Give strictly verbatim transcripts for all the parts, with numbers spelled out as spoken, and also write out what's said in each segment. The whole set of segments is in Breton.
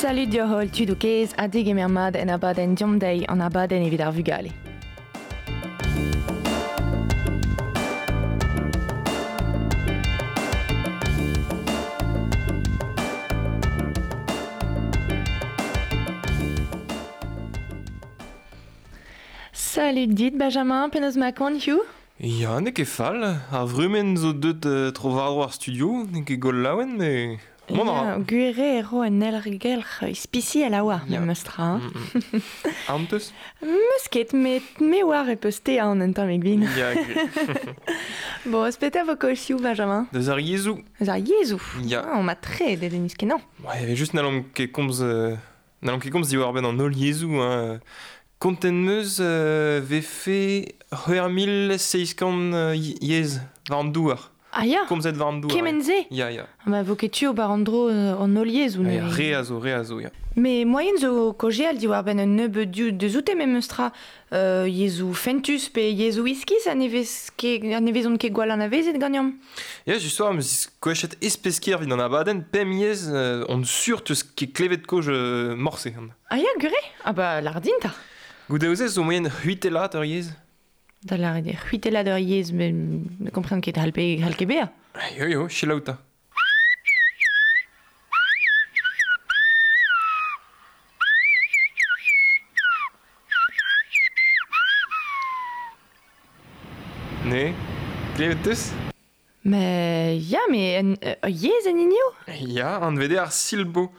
Salut dioc'h tudoù kaezh ha degemer mat en abadenn Deomp Dezhi an abadenn evit ar vugale. Salut dit Benjamin, penaos ma kont hiziv? Ya, n'eo ket fall. Ar vrumenn zo deut uh, tro war-dro ar studio, n'eo ket gwall laouen, mais... Mont a ra. Gwir eo e ro un aergelc'h ispisial a oa, Ya. memes tra. Mm, mm. Aon teus? Meus ket, met me oar e peus te aon un tammig vin. Ya, gwir. Bon, eus petra vo kaoz hiziv, Benjamin? Deus ar yezhoù. Eus ar yezhoù. Ya. Ah, on m'a tre dedennus kenañ. Ouais, evel just n'hallomp ket komz, euh, n'hallomp ket komz diwar-benn an holl yezhoù. Hein. Kontent meus euh, vefe c'hwec'h mil seizh kant euh, yezh war an douar. Ah ya, Komzet war an douar. kement-se? Ya, ya. Ah, ma vo ket tu ober an dro euh, an holl yezhoù. Ya, neuze. re a zo, re a zo, ya. Mais moyen zo kaozeal diwar-benn un nebeud div deus oute memes tra euh, yezhoù fentus pe yezhoù iskis a ne vez ket, a ne vezont ket gwall anavezet ganeomp. Ya, just war, meus koachet espeskier evit an abadenn, pemp yezh euh, on sur teus ket klevet koj euh, morse. Ah ya, gure? Ah bah, lardin ta. Goude zo moyen c'hwitellat ur yezh? Da lâret eo c'hwitellat ur yezh, met ne kompren ket hal pe hal ket bezañ. Yo, yo, selaou 'ta. Ne? Klevet teus? Mais ya, mais un, ur yezh en hini eo? Ya, anvet eo ar silbo.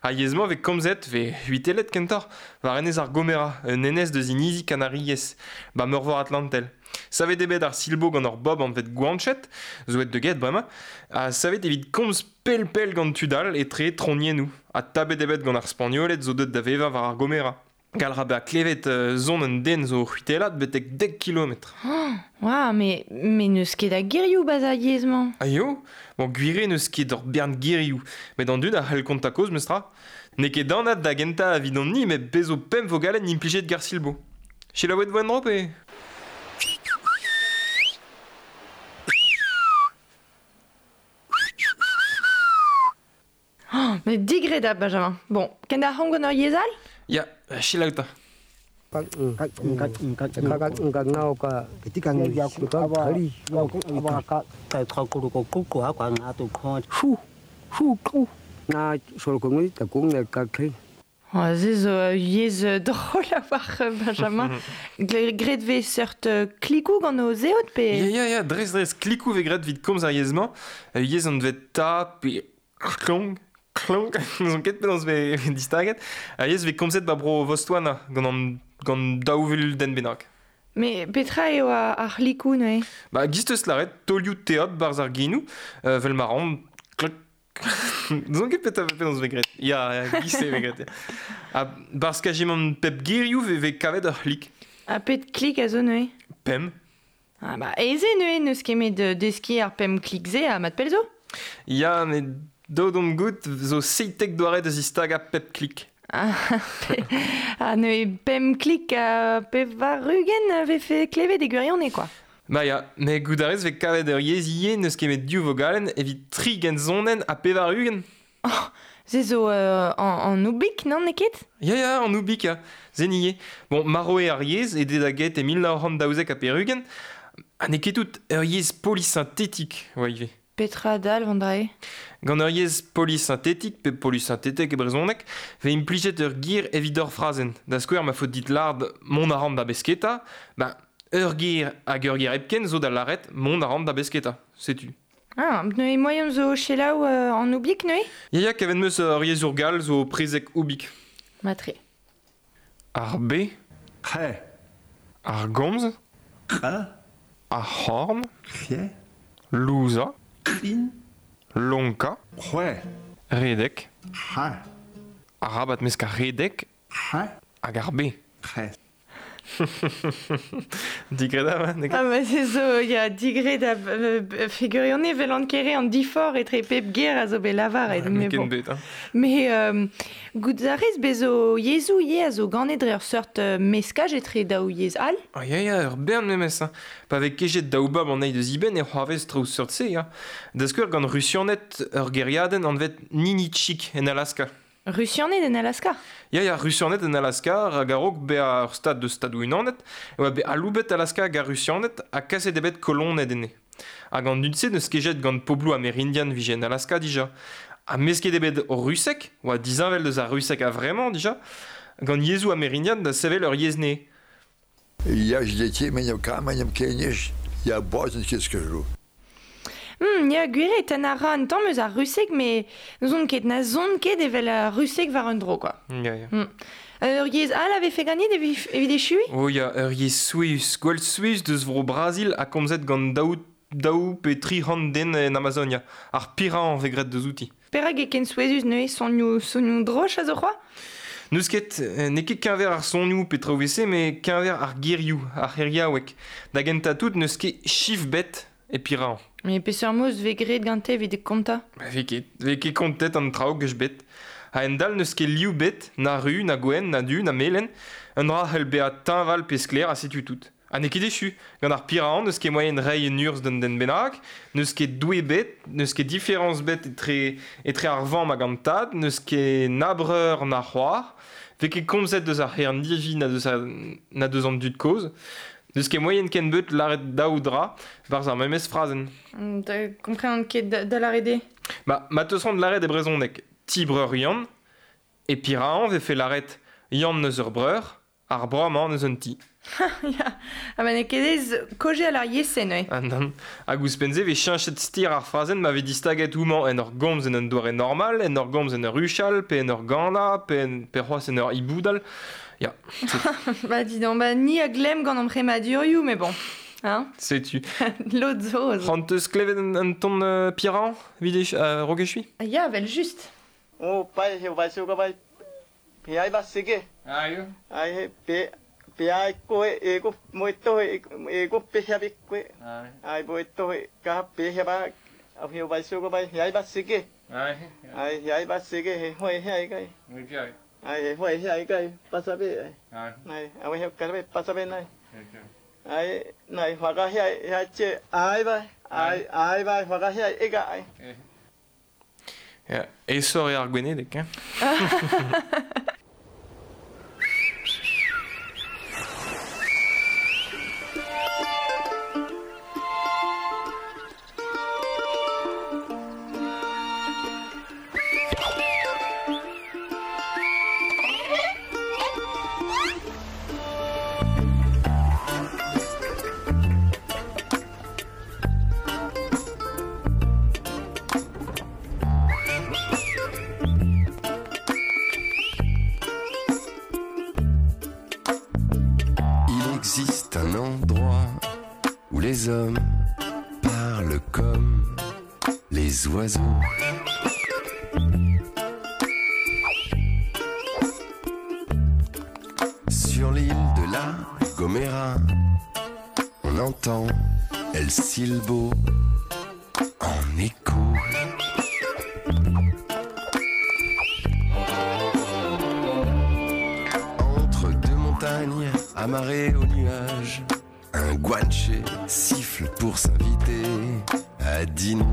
Ar yezh-mañ vez komzet, vez c'hwitellet kentoc'h, war enez ar Gomera, un enez deus inizi Kanariez, ba meurvor Atlantel. Savet eo bet ar silbo gant ur bob anvet Guanchet, zo aet da get bremañ, ha savet evit komz pell-pell gant tud all etre troniennoù, ha tabet eo bet gant ar Spagnoled zo deuet da vevañ war ar Gomera. Gall ra bezañ klevet euh, son un den zo c'hwitellat betek dek kilometr. Oa, mais, mais n'eus ket a gerioù bas ar yezh-mañ. Ah yo, bon, gwir eo n'eus ket ur bern gerioù, met an dud a c'hell kontañ kaoz meus tra. N'eo ket anat da gentañ evidon-ni, met bez zo pemp vogalenn implijet gant silbo. Selaouet vo en-dro pe? Oh, mais digredabl, Benjamin. Bon, ken da c'hant gant ur yezh all? Ya, selaou 'ta. Oh, se zo ur yezh drol a-walc'h, Benjamin. Gre- Graet vez seurt euh, klikoù gant o zeod pe? Ya, ya, ya, dres, dres, klikoù vez graet evit komz ar yezh-mañ. Ur yezh anvet ta pe klong, klong, n'ouzon ket penaos vez distaget. Ar yezh vez komzet ba bro Botswana gant an, gant daou vil den bennak. Mais petra eo ar, ar c'hlikoù neuze? Ba, giz teus lâret, taolioù teod barzh ar genoù, euh, vel ma ran, klok. N'ouzon ket petra penaos vez graet. Ya, ya, giz se vez graet. Ya. Ha barzh kajimant pep gerioù vez, vez kavet ur c'hlik. Ha pet klik a zo neuze? Pemp. Ah bah, aes eo neuze n'eus ket met deskiñ ar pemp klik-se ha mat pell zo? Ya, met daou d'omp goût zo seitek doare da zistagañ pep klik. Ah, pe, ah neuze pemp klik ha pevar-ugent vefe klevet e gwirionez, quoi. Ba ya, met goût a rez vez kavet ur yezh ivez n'eus ket met div vogalenn evit tri gensonenn ha pevar-ugent. Oh, se zo euh, an, an oubik, non, n'eo ket? Ya, ya, an oubik, ya. Zen ivez. Bon, marv eo ar yezh e da get e mil nav c'hant daouzek ha pevar-ugent, ha n'eo ket tout ur yezh polysynthétique, oa ivez. Petra dalv an dra-se? Gant ur yezh polysynthétique pe polysynthétek e brezhoneg, vez implijet ur ger evit ur frazenn. Da skouer ma faot dit lâret mont a ran da besketa, ben ur ger hag ur ger hepken zo da lâret mont a ran da besketa, setu. Ah, neuze moaien zo selaou euh, an oubik neuze? Ya, ya, kavet meus ur yezhour gall zo prezeg oubik. Matre. Ar be. C'he. Ar gomz. C'he. Ar c'horn. C'he. Louzañ. C'hin. Lonkañ. C'hwec'h. Redek. Ha. Arabat mesk ar redek. Ha. Hag ar be. C'he. Digredabl, hein, n'eo ket? Ah, ma se zo, ya, digredabl, euh, figurionez vel an kere an difor etre pep ger a zo bet lavaret, Ouais, mais ken bon. bet, hein. Mais, euh, goût a rez bez zo yezhoù ivez a zo ganet dre ur seurt euh, meskaj etre daou yezh all? Ah, ya, ya, ur bern memes, hein. Pa vez kejet daou bab an eil deus iben e c'hoarvez traoù seurt-se, ya. Da skouer gant Rusianed ur gêriadenn anvet Ninitchik en Alaska. Rusianed en Alaska? Ya, ya, Rusianed en Alaska, hag a-raok bezañ ur stad deus Stadoù Unanet, e oa bet aloubet Alaska hag ar Rusianed ha kaset eo bet koloned enne. Hag an dud-se n'eus kejet gant pobloù amerindian vije en Alaska dija. Ha mesket eo bet o ruseg, oa disheñvel deus ar ruseg a-vremañ dija, gant yezhoù amerindian da sevel ur yezh nevez. Я ж детей меня каменем кинешь, я боженьки скажу. Hmm, ya, gwir eo tenn a ra un tamm eus ar ruseg, met n'ouzon ket, na zon ket evel ar ruseg war un dro, quoi. Ya, ya. Hmm. Ur yezh all a vefe ganit evit, evit echuiñ? Oh ya, ur yezh souezhus, gwall souezhus deus vro Brazil ha komzet gant daou, daou pe tri c'hant den en Amazonia. Ar pirañ vez graet deus outi. Perak eo ken souezhus neuze sonioù, sonioù droch a zo c'hoazh? N'eus ket, n'eo ket keñver ar sonioù pe traoù e-se, met keñver ar gerioù, ar c'heriaoueg. Da gentañ tout n'eus ket chif bet e pirañ. Mais peseurt moz vez graet gante evit kontañ? Ba vez ket, vez ket kontet an traoù geus bet. A-hend-all n'eus ket liv bet, na ru, na gwenn, na du, na melen. Un dra c'hell bezañ teñval pe sklaer ha setu tout. Ha n'eo ket echu. Gant ar pirañ n'eus ket moaien reiñ un urzh d'un den bennak, n'eus ket doue bet, n'eus ket diferañs bet etre, etre ar vamm hag an tad, n'eus ket na breur na c'hoar, vez ket komzet deus ar c'herndivi na deus, a, na deus an dud kozh. N'eus ket moaien ken beut lâret daou dra barzh ar memes frazenn. Da kompren ket da, da lâret eo? Ba, ma teus c'hoant lâret e brezhoneg, ti breur Yann, e pirañ vefe lâret Yann neus ur breur, ar breur-mañ neus un ti. Ya, ha ma n'eo ket aes kaozeal ar yezh-se neuze. Ah nann, hag ouzhpenn-se vez cheñchet ster ar frazenn ma vez distaget houmañ en ur gomz en un doare normal, en ur gomz en ur huchal, pe en ur ganañ, pe, en, pe c'hoazh en ur hiboudal. Ya. Ba dis donc, ba ni a glemm gant an premadurioù, mais bon. Hein? Setu. Lod zo. C'hoant eus klevet un, un ton uh, pirañ, evit uh, raok echuiñ? Ya, vel just. Oh, pai, he vai suga vai. Pe ai va sege. Aio. Ai he pe pe ai ko e ko moito e ko pe ha be ko. Ai boito ka pe ha ba au he vai suga vai he ai va sege. Ai. Ai he ai va sege he hoi he ai kai. Ai he hoi he ai kai pasa be. Ai. Ai au he ka be pasa be nai. Ai nai whaka he ai he che ai vai ai ai vai whaka he ai e ga ai. Ya, aesoc'h eo ar gwenedeg, hein? Existe un endroit où les hommes parlent comme les oiseaux. Sur l'île de la Gomera, on entend El Silbo en écho. Entre deux montagnes amarrées aux nuages, un guanche siffle pour s'inviter à dîner.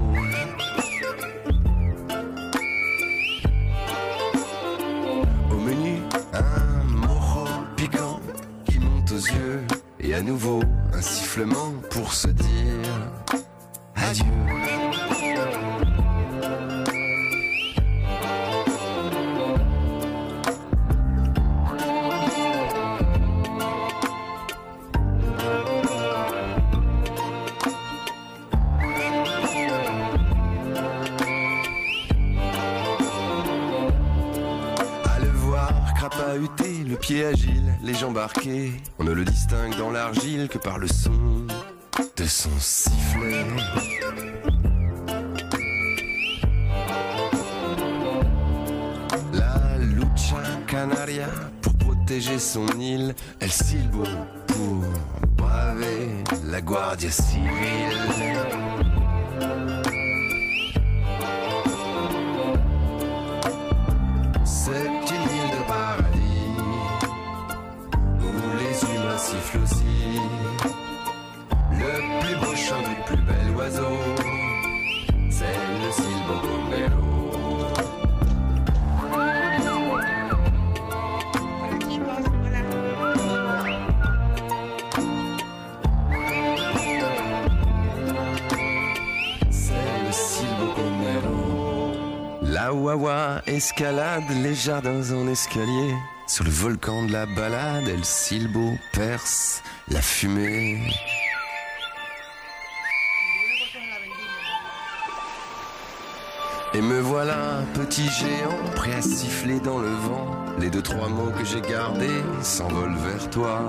Au menu, un mojo piquant qui monte aux yeux et à nouveau un sifflement pour se dire adieu. Le pied agile, les jambes arquées, on ne le distingue dans l'argile que par le son de son sifflet. La lucha canaria pour protéger son île, El Silbo pour braver la Guardia Civile. C'est une île de paradis où les humains sifflent aussi. Le plus beau chant du plus bel oiseau, c'est le silbo gomero. La Wawa escalade les jardins en escalier. Sur le volcan de la balade, El Silbo perce la fumée. Et me voilà, petit géant, prêt à siffler dans le vent. Les deux, trois mots que j'ai gardés s'envolent vers toi.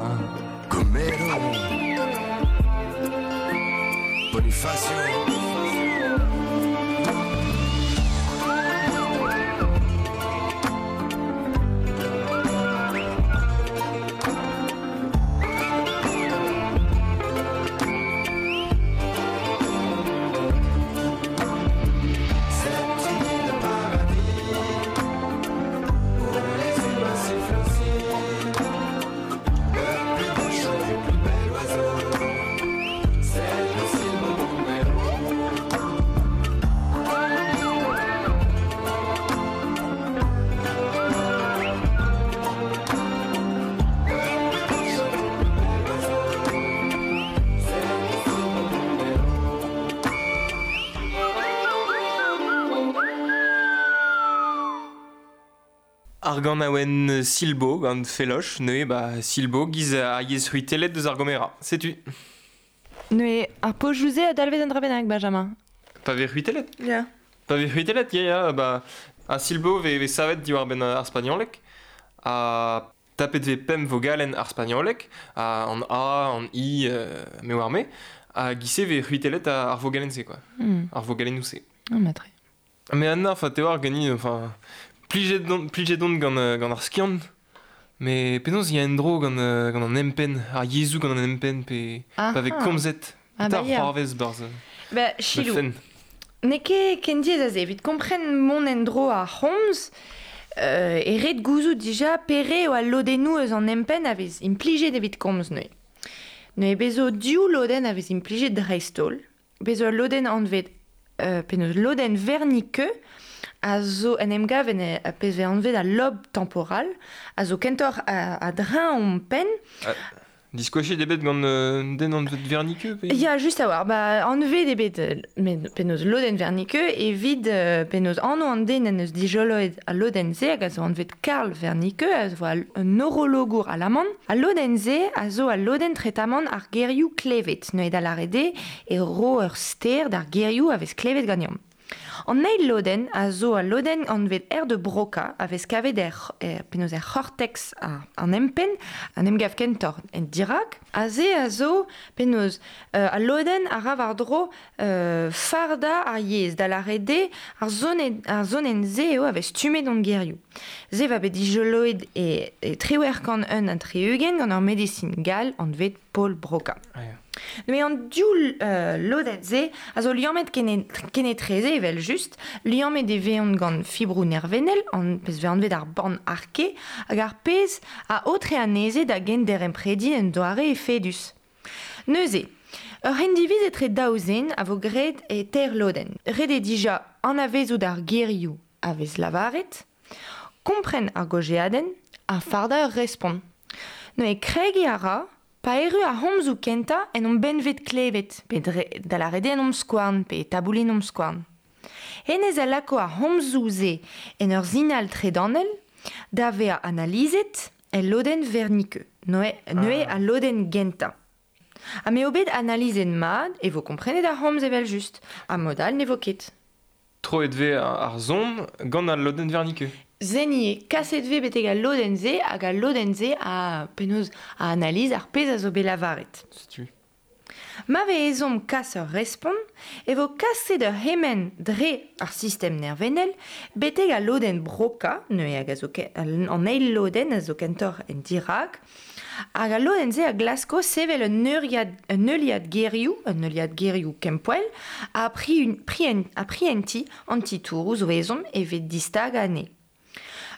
Comero, Bonifacio. Ar gant aouen Silbo, gant Feloch, neue ba Silbo giz a yez c'hwitellet deus ar Gomera. Setu. Neue ar pojouze a dalvez an dra bennak, Benjamin. Pa vez c'hwitellet? Ya. Pa vez c'hwitellet, ya, ya, ba a Silbo ve, ve savet diwar ben ar spagnolek, a tapet ve pemp vogalen ar spagnolek, a an A, an I, euh, me war me, a gise ve c'hwitellet ar vogalen-se, quoi. Mm. Ar vogalen-se. Ah, matre. Mais Anna, enfin, te war gani, enfin... Plijet don, plijet don gant, gant ar skiant, mais penaos y a en dro gant, gant an empen, ar yezou gant an empen, pe ah, pa vez komzet, ah, ta bah, ya. c'hoarvez barz. Ba, chilou. N'eo ket ken diaes aze, evit kompren mont en dro ar c'homz, euh, e ret gouzout dija pere eo al lodennoù eus an empen a vez implijet evit komz neuze. Neuze bezo div lodenn a vez implijet dreist-holl, bezo al lodenn anvet, euh, penaos lodenn Wernicke, a zo en em gav en a pezh vez anvet al lob temporal, a zo kentoc'h a, a dreñ on penn. Ah, diskoachet ebet gant euh, den anvet Wernicke pe... Ya, just a war, ba, anvet ebet penaos lodenn Wernicke evit euh, penaos anv an den en eus dijoloet al lodenn-se hag a zo anvet Karl Wernicke, a zo al, un neurologour alaman. Al lodenn-se a zo al lodenn tretamant ar gerioù klevet. Neuze da lâret eo e ro ur ster d'ar gerioù a vez klevet ganeomp. An eil lodenn a zo al lodenn anvet air de Broca a vez kavet er, er, penaos er c'hortex a, an empen, an emgav kentoc'h en dirak. A ze a zo penaos euh, al lodenn a ra war-dro euh, farda ar yezh, da lâret eo ar zonen, ar zonen-se eo a vez stummet an gerioù. Se va bet dijoloet e, e triwec'h kant un ha tri-ugent gant ar medisin gall anvet Paul Broca. Ah, ya. Mais an div euh, lodenn-se a zo liammet kenetreze evel just, liammet e veont gant fibroù nervennel, an pezh vez anvet ar born arke, hag ar pezh a aotre anezhe da genderemprediñ en doare efedus. Neuze, ur c'hendiviz etre daou zen a vo graet e teir lodenn. Ret eo dija anavezout ar gerioù a vez lavaret, kompren ar gojeadenn ha fardañ ur respont. Neuze kregiñ a ra, pa erru ar c'homzoù kentañ en hon benved klevet, pe dre, da lâret eo en hon skouarn, pe taboulin hon skouarn. Hennezh a lako ar c'homzoù-se en ur sinal tredanel, da vezañ analizet el lodenn Wernicke, neuze ah. al lodenn gentañ. Ha m'eo bet analizet mat e vo komprenet ar c'homz evel just, ha mod all ne vo ket. Troet vez ar zon gant al lodenn Wernicke. Zenie, kaset vez betek al lodenn-se hag al lodenn-se a penaos a analiz ar pezh a zo bet lavaret. Setu. Ma vez ezhomm kas ur respont, e vo kaset ur hemenn dre ar sistem nervennel betek al lodenn Broca, neuze hag a zo ke, an eil lodenn a zo kentoc'h en dirak, hag al lodenn-se a glasko sevel un euriad, un heuliad gerioù, un heuliad gerioù kempoell, a pri, pri, a prienti an titouroù zo ezhomm evit distagañ anezhe.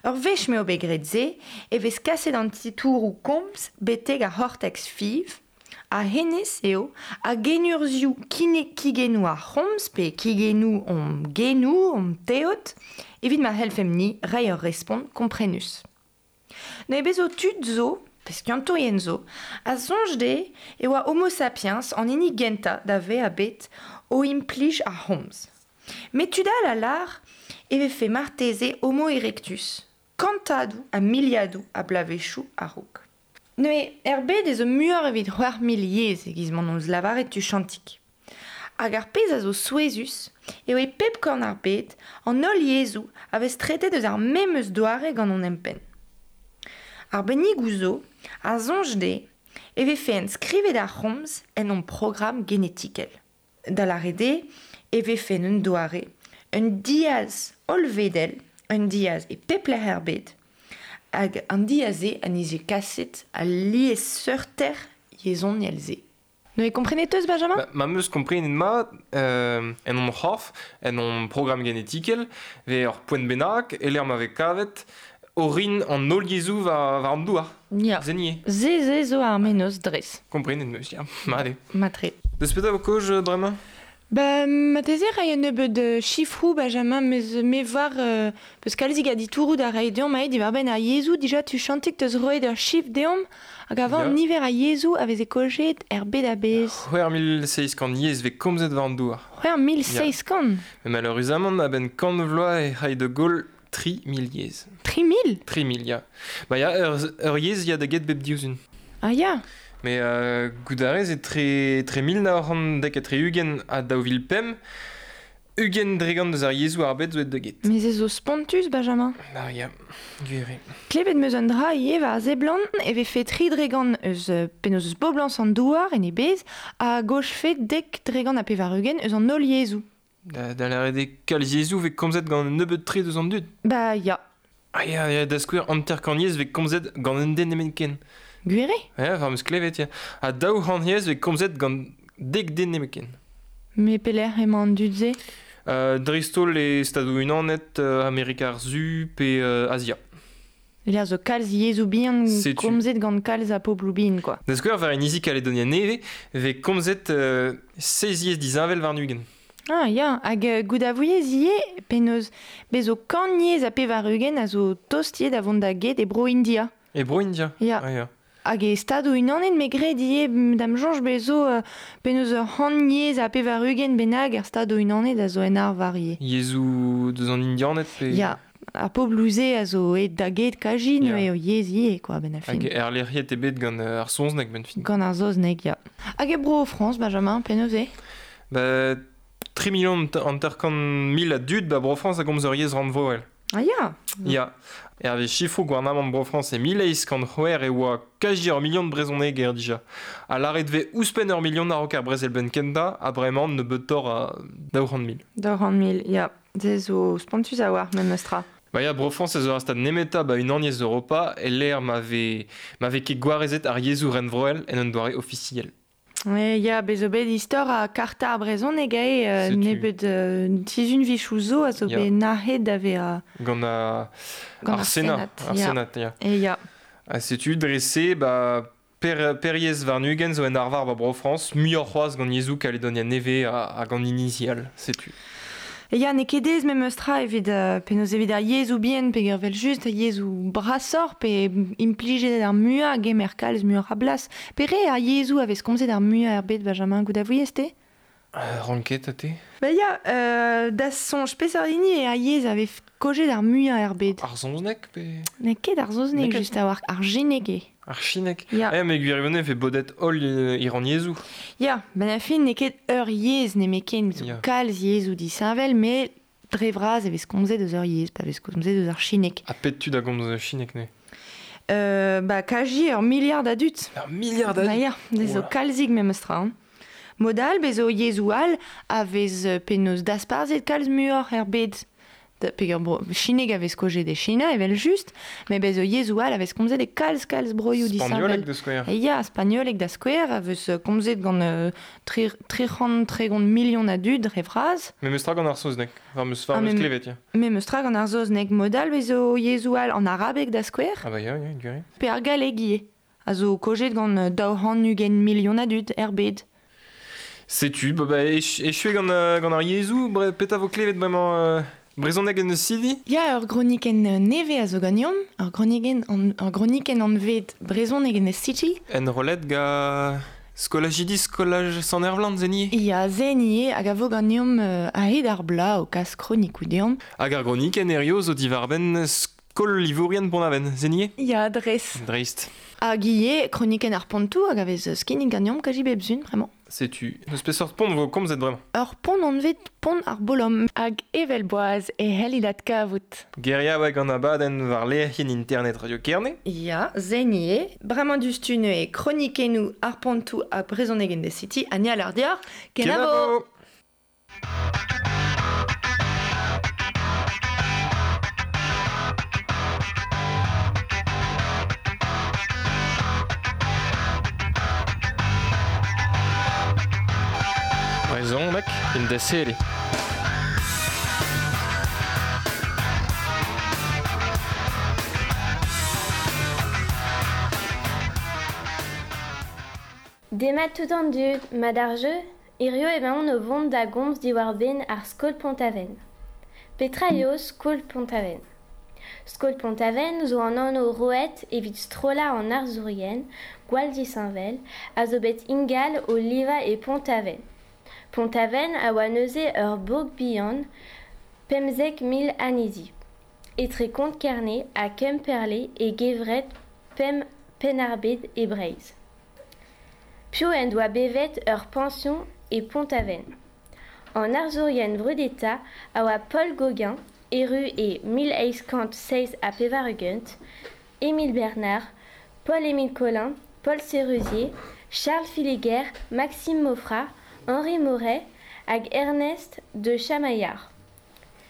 Ur wech m'eo bet graet se, e vez kaset an titouroù komz betek ar c'hortex fiv, a hennezh eo a genurzhioù kine kigennoù ar c'homz pe kigennoù hon genoù, hon teod, evit ma c'hellfemp-ni reiñ ur respont komprenus. Neuze bezo tud zo, pe skiantourien zo, a soñj dezhe e oa Homo sapiens an hini gentañ da vezañ bet o implij ar c'homz. Met tud all a lar e vefe marteze Homo erectus, kantadoù ha miliadoù a bloavezhioù a-raok. Neuze, er bed ez eus muioc'h evit c'hwec'h mil yezh e-giz m'hon eus lavaret tuchantik. Hag ar pezh a zo souezhus eo e pep korn ar bed an holl yezhoù a vez tretet eus ar memes doare gant hon empenn. Ar bennigoù zo a soñj dezhe e vefe enskrivet ar c'homz en hon programm genetikel. Da lâret eo e vefe un doare, un diaz hollvedel, un diaz e pep lec'h er bed, hag an diaz-se a nije kaset al liesseurter yezhoniel-se. Neuze komprenet eus, Benjamin? Ba, ma 'm eus komprenet mat, euh, en hon c'horf, en hon programm genetikel, vez ur poent bennak, e-lec'h ma vez kavet orin an holl yezhoù war, war an douar. Ya. Se nie. Se se zo ar mennozh dres. Komprenet 'm eus, ya. Mat eo. Matre. Deus petra vo kaoz bremañ? Ba, marteze ray un nebeud chifroù, Benjamin, mez me war euh, peus kalzik a ditouroù da reiñ deomp aet diwar-benn ar yezhoù, dija tuchantik teus roet ur chifr deomp, hag avant Ya. niver a yezhoù a veze kojet er bed a-bezh. C'hwec'h mil seizh kant yezh vez komzet war an douar. C'hwec'h mil seizh kant? Mais malheureusement, a-benn kant vloaz e c'hay da goll tri mil yezh. Tri mil? Tri mil, ya. Ba ya, ur, ur yezh ya da get bep div sizhun. Ah ya. Mais euh, goût a rez e tre, tre mil nav c'hant dek ha tri-ugent ha daou vil pemp, ugent dregant deus ar yezhoù ar bed zo aet da get. Mais se zo spontus, Benjamin. Ah ya, gwir eo. Klevet 'm eus un dra ivez war seblant e vefe tri dregant eus penaos eus boblañs an douar en e bezh ha gochfe dek dregant ha pevar-ugent eus an holl yezhoù. Da, da lâret eo kalz yezhoù vez komzet gant un nebeud tre deus an dud. Ba ya. Ah ya, ya, da skouer hanter-kant yezh vez komzet gant un den nemetken. Gwir eo? Ya, war 'm eus klevet, ya. Ha daou c'hant yezh vez komzet gant dek den nemetken. Mais pelec'h emañ an dud-se? Euh, dreist-holl e Stadoù-Unanet, euh, Amerika ar Su pe euh, Azia. Lec'h zo kalz yezhoù bihan Setu. komzet gant kalz a pobloù bihan, quoi. Da skouer, war inizi Kaledonia Nevez, vez komzet euh, seizh yezh disheñvel warn-ugent. Ah ya, hag euh, goût a vouiez ivez penaos bez zo kant yezh ha pevar-ugent a zo tost ivez da vont da get e Bro-India. E Bro-India? Ya. Ah, ya. Hag e Stadoù-Unanet me gred ivez da'm soñj bez zo euh, penaos ur c'hant yezh ha pevar-ugent bennak er Stadoù-Unanet a zo en arvar ivez. Yezhoù deus an Indianed pe... Ya, ar pobloù-se a zo aet da get kaji Ya. neuze eo yezh ivez, quoi, ben a fin. Hag erlec'hiet eo bet gant euh, ar saozneg ben fin. Gant ar saozneg, ya. Hag e Bro-Frañs, Benjamin, penaos eo? Ba, tri million hanter-kant mil a dud ba Bro-Frañs a gomz ur yezh rannvroel. Ah ya. Ya. Hervez chifroù gouarnamant Bro-Frañs e mil eizh kant c'hwec'h e oa kaji ur million brezhoneg er dija. Ha lâret vez ouzhpenn ur million a-raok ar brezel benn kentañ, ha bremañ nebeutoc'h a daou c'hant mil. Daou c'hant mil, ya. Se zo spontus a-walc'h memes tra. Ba ya, Bro-Frañs ez eo ar stad nemetañ ba unaniezh Europa e lec'h ma vez, ma vez ket gwarezet ar yezhoù rannvroel en un doare ofisiel. Ouais, ya, bez zo bet istor a karta ar brezhoneg eo euh, Setu. nebeud euh, sizhun vichoù zo a zo Ya. bet nac'het da vezañ Gant a, gant ar ar Senat. Senat, Ar ya. Senat, ya. E ya. Ha setu dre-se, ba, per, per yezh warn-ugent zo en arvar ba Bro-Frañs, muioc'h c'hoazh gant yezhoù Kaledonia Nevez ha, ha gant inizi all, setu. E ya, n'eo ket aes memes tra evit euh, penaos evit ar yezhoù bihan pe evel just ar yezhoù brasoc'h pe implijet ar muiañ hag gemer kalz muioc'h a blas. Pe re ar yezhoù a vez komzet ar muiañ er bed, Benjamin, goût a vouiez te? Euh, ranket a te? Ba ya, euh, da soñj peseurt hini eo ar yezh a vez kojet ar muiañ er bed. Ar saozneg pe... N'eo ket ar saozneg N'eo ket. just a-walc'h, ar chineg eo. Ar chineg. Ya. Eh, met gwirionez vez bodet holl euh, iran yezhoù. Ya, ben a fin n'eo ket ur yezh nemetken, zo Ya. kalz yezhoù disheñvel, met dre vras e vez komzet eus ur yezh, pa vez komzet eus ar chineg. Ha pet tud a gomz chineg ne? Euh, ba kaji ur miliard a dud. Ur miliard a Ba dud? ya, ez zo Oula. kalzik memes tra. Hein. Mod all, bez zo yezhoù all a vez euh, penaos dasparzhet kalz muioc'h er bed. Da, peger bro, chineg a vez kojet e China, evel just, met bez zo yezhoù all a vez komzet e kalz kalz broioù disheñvel. Spagnoleg da skouer. E ya, spagnoleg da skouer a vez euh, komzet gant euh, tri, tri c'hant tregont million a dud dre vras. Memes tra gant ar saozneg, war 'm eus, war Ah, 'm eus mem- klevet, ya. Memes tra gant ar saozneg mod all bez zo yezhoù all an arabeg da skouer, Ah ba ya, ya, gwir eo. pe ar galleg ivez, a zo kojet gant euh, daou c'hant ugent million a dud er bed. Setu, ba, ba, ech, echu eo gant, euh, gant ar yezhoù, bre, petra vo klevet bremañ euh, brezhoneg en eus sidi? Ya, ur gronikenn nevez a zo ganeomp, ur gronikenn an, ur gronikenn anvet brezhoneg en eus city. Enrollet ga Skolajidi skolaj Sant-Ervlan, zenie? Ya, zenie, hag a vo ganeomp euh, a-hed ar bla o kas kronikou deomp. Hag ar gronik en erio zo divarben skol livourien Pont-Aven, zenie? Ya, dres. Dreist. Hag ie, kroniken ar pontou hag a vez skinnig ganeomp kaji bep zun, vraiment. Setu, eus peseurt pont vo komzet bremañ? Ur pont anvet pont ar bolom hag evel boaz e hellidat kavout. Geria oa gant abadenn war lec'hienn internet Radio Kerne? Ya, zenie, bremañ dustu e kronikenou ar pontou ha brezhoneg en de city, ha ni a l'ar diar, kenavo! Brezhoneg in the city. Demat tout an dud, mat ar jeu, hirio emaon o vont da gomz diwar-benn ar skol Pont-Aven. Petra eo skol Pont-Aven? Skol Pont-Aven zo an anv roet evit strollañ an arzourien, gwall disheñvel, a zo bet ingal o livañ e Pont-Aven. Pont-Aven a oa neuze ur bourg bihan, pemzek mil anezhi. Etre Konk-Kerne ha Kemperle e gevred pemp Penn-ar-Bed e Breizh. Piv en doa bevet ur pension e Pont-Aven. An arzourien vrudetañ a oa Paul Gauguin, erru e mil eizh kant seizh ha pevar-ugent, Émile Bernard, Paul-Émile Collin, Paul Sérusier, Charles Filiger, Maxime Maufra, Henri Moret hag Ernest de Chamaillard.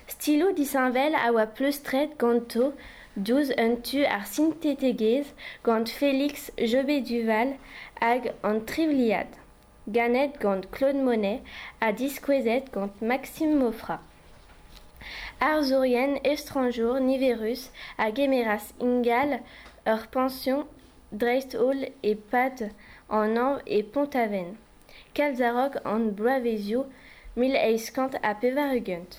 Stiloù disheñvel a oa pleustret ganto diouzh un tu ar sintetegezh gant Félix Jobé-Duval hag an trivliad, ganet gant Claude Monet ha diskouezet gant Maxime Maufra. Arzourien estranjour niverus a gemeras ingal ur pension dreist-holl e-pad an hañv e Pont-Aven. Kalz a-raok an bloavezioù mil eizh kant ha pevar-ugent.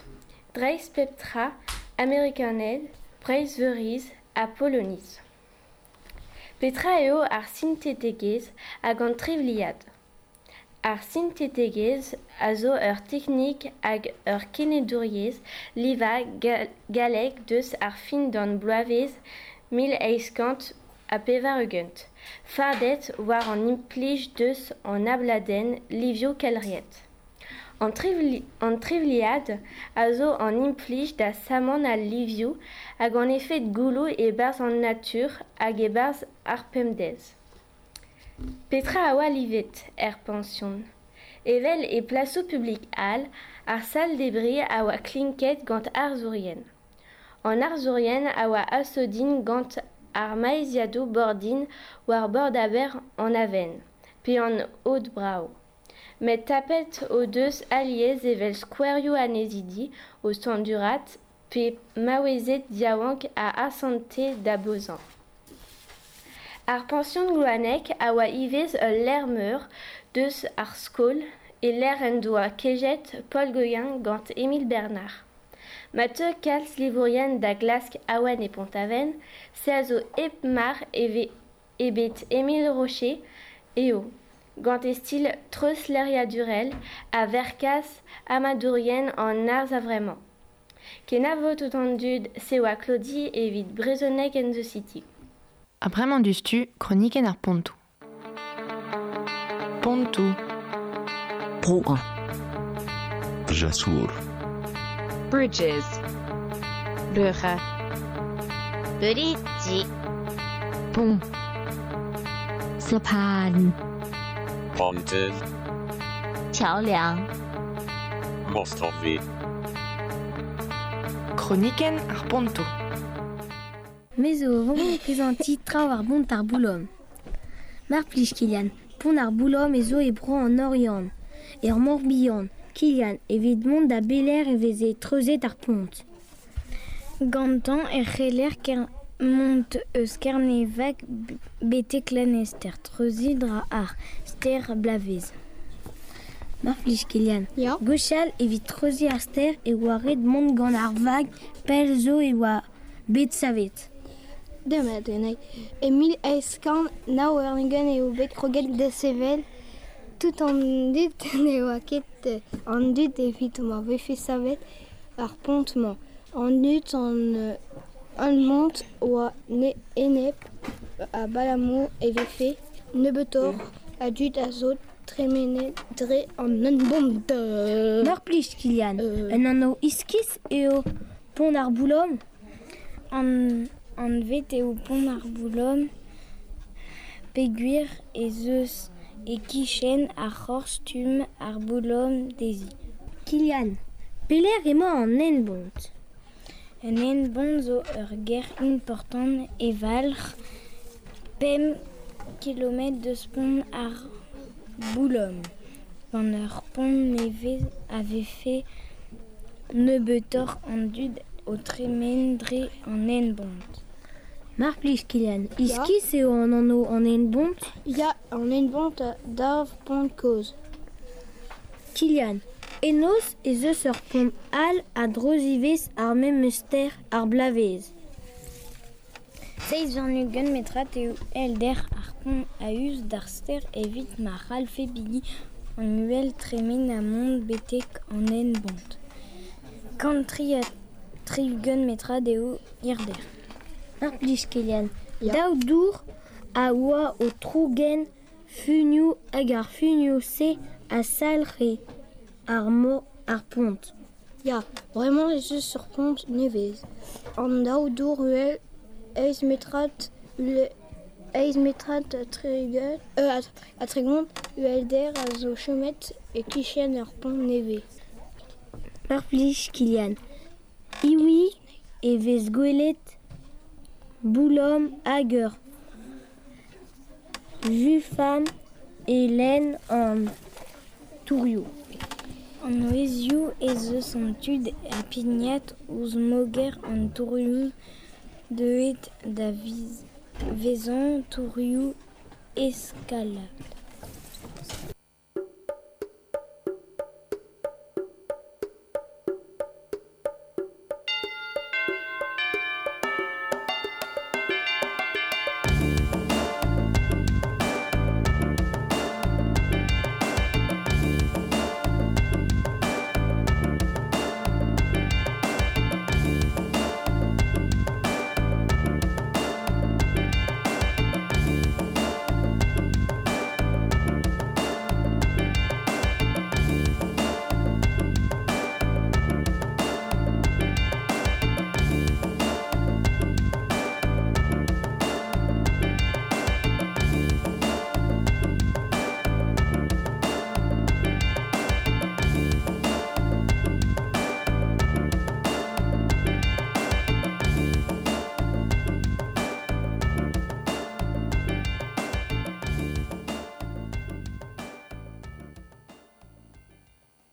Dreist pep tra, Amerikaned, Breizhveuriz ha Poloniz. Petra eo ar sintetegezh hag an trivliad? Ar sintetegezh a zo ur teknik hag ur kenedouriezh livañ gallek deus ar fin d'an bloavezh mil eizh kant ha pevar-ugent. Fardet war an implij deus an abladenn livioù kelc'hiet. An trivli, an trivliad a zo an implij da sammañ al livioù hag an efed gouloù e-barzh an natur hag e-barzh ar pemdez. Petra a oa livet er pension? Evel e plasoù publik all, ar sal-debriñ a oa klinket gant arzourien. An arzourien a oa asodin gant ar maeziadoù bordin war bord aber an Aven, pe an Aod Brav. Met tapet o deus alies evel skouerioù annezidi o standurat pe maouezed yaouank a asante da bozañ. Ar pension Gloanec a oa ivez ul lec'h meur deus ar skol e lec'h en doa kejet Paul Gauguin gant Émile Bernard. Ma teu kalz livourien da glask awen e Pont-Aven, se a zo hep mar eve ebet Émile Rocher eo, gant e stil treuzleriadurel a verkas amadourien an arz a-vremañ. Kenavo tout an dud se oa Claudie evit Brezhoneg en the City. Ha bremañ dustu, kronikenn ar pontoù. Pontoù. Broer. Jasour. Bridges. Brugge. Bridge. Pont. สะพาน Pontydd. 桥梁 Mostowy. Kronikenn ar pontoù. Me zo o vont prezanti traoù ar bont ar boulom. Mar plij Kilian, pont ar boulom e zo e bro an Oriant. Er Morbihan, Kilian, evit mont da beler e veze treuzet ar pont. Gantañ e c'heller ker mont eus Kernevag betek Lanester, treuziñ dra ar stêr Blavezh. Mar plij Kilian, Ya. Gwechall evit treuziñ ar stêr e oa ret mont gant ar vag pell zo e oa bet savet. Demat, Enai. E mil eizh kant nav warn-ugent eo bet kroget da sevel Tout an dud ne oa ket an dud evit ma vefe savet ar pont-mañ. An dud an, an mont oa ne enep a balamour e vefe nebeutoc'h a dud a zo tremenet dre an hent-bont. Mar plij, Kilian, euh... un anv iskis eo pont ar Boulom? An, anvet eo pont ar Boulom peogwir ez eus e kichen ar c'horr-stumm ar Boulom dezhi. Kilian, pelec'h emañ an hent-bont? Un hent-bont zo ur gêr important e valc'h pemp kilometr deus pont ar Boulom. Gant ur pont nevez a vefe nebeutoc'h an dud o tremen dre an hent-bont. Mar plij, Kilian, iskis eo an anv an hent-bont? Ya, an hent-bont a dav pont kozh. Kilian, enoz ez eus ur pont all a-dreuz ivez ar memes stêr ar Blavezh. Seizh warn-ugent metrad eo uhelder ar pont a-us d'ar stêr evit ma c'hallfe bigi an uhel tremen ha mont betek an hent-bont. Kant tri ha tri-ugent metrad eo hirder. Mar plij, Kilian, daou dour a oa o trougen funioù hag ar funioù-se a salc'he ar mor ar pont. Ya, bremañ ez eus ur pont nevez. An daou dour uhel eizh metrad eizh metrad ha tri-ugent euh, ha tregont uhelder a zo chomet e-kichen ar pont nevez. Mar plij, Kilian, Iwi e vez gwelet Boulom hag ur Jufam e lenn an tourioù. An ouezioù ez eus an tud a pignat ouzh moger an tourioù deuet da vezañ tourioù eskalad.